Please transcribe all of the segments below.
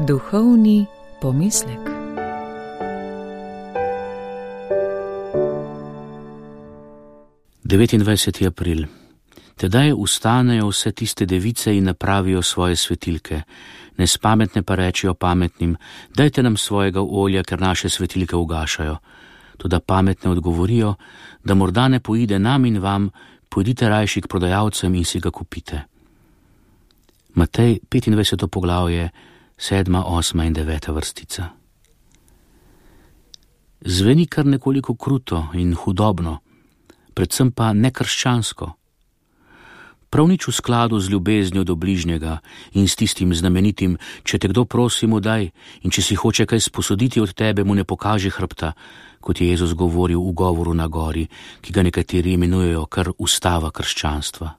Duhovni pomislek. Devetindvajseti april. Tedaj vstanejo vse tiste device in napravijo svoje svetilke. Nespametne pa rečijo pametnim: dajte nam svojega olja, ker naše svetilke ugašajo. Toda pametne odgovorijo, da morda ne poide nam in vam, pojdite rajši k prodajalcem in si ga kupite. Matej 25. poglavje, 7., 8. in 9. vrstica. Zveni kar nekoliko kruto in hudobno, predvsem pa nekrščansko. Prav nič v skladu z ljubeznijo do bližnjega in s tistim znamenitim: če te kdo prosi, mu daj, in če si hoče kaj sposoditi od tebe, mu ne pokaži hrbta, kot je Jezus govoril v govoru na gori, ki ga nekateri imenujejo kar ustava krščanstva.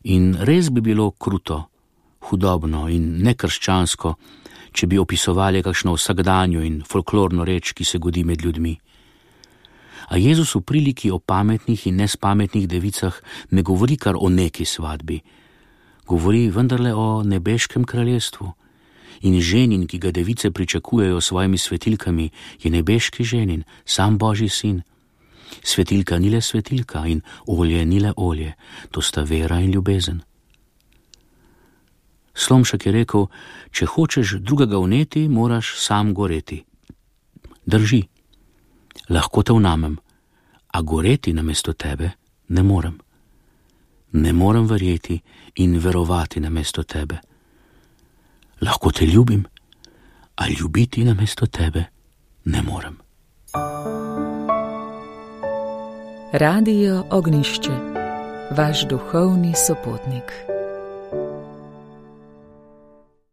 In res bi bilo kruto, hudobno in nekrščansko, če bi opisovali kakšno vsakdanjo in folklorno reč, ki se godi med ljudmi. A Jezus v priliki o pametnih in nespametnih devicah ne govori kar o neki svatbi. Govori vendarle o nebeškem kraljestvu. In ženin, ki ga device pričakujejo s svojimi svetilkami, je nebeški ženin, sam Božji sin. Svetilka ni le svetilka in olje ni le olje, to sta vera in ljubezen. Slomšek je rekel: če hočeš drugega vneti, moraš sam goreti. Drži. Lahko te vnamem, a goreti namesto tebe ne morem. Ne morem verjeti in verovati namesto tebe. Lahko te ljubim, a ljubiti namesto tebe ne morem. Radio Ognjišče, vaš duhovni sopotnik.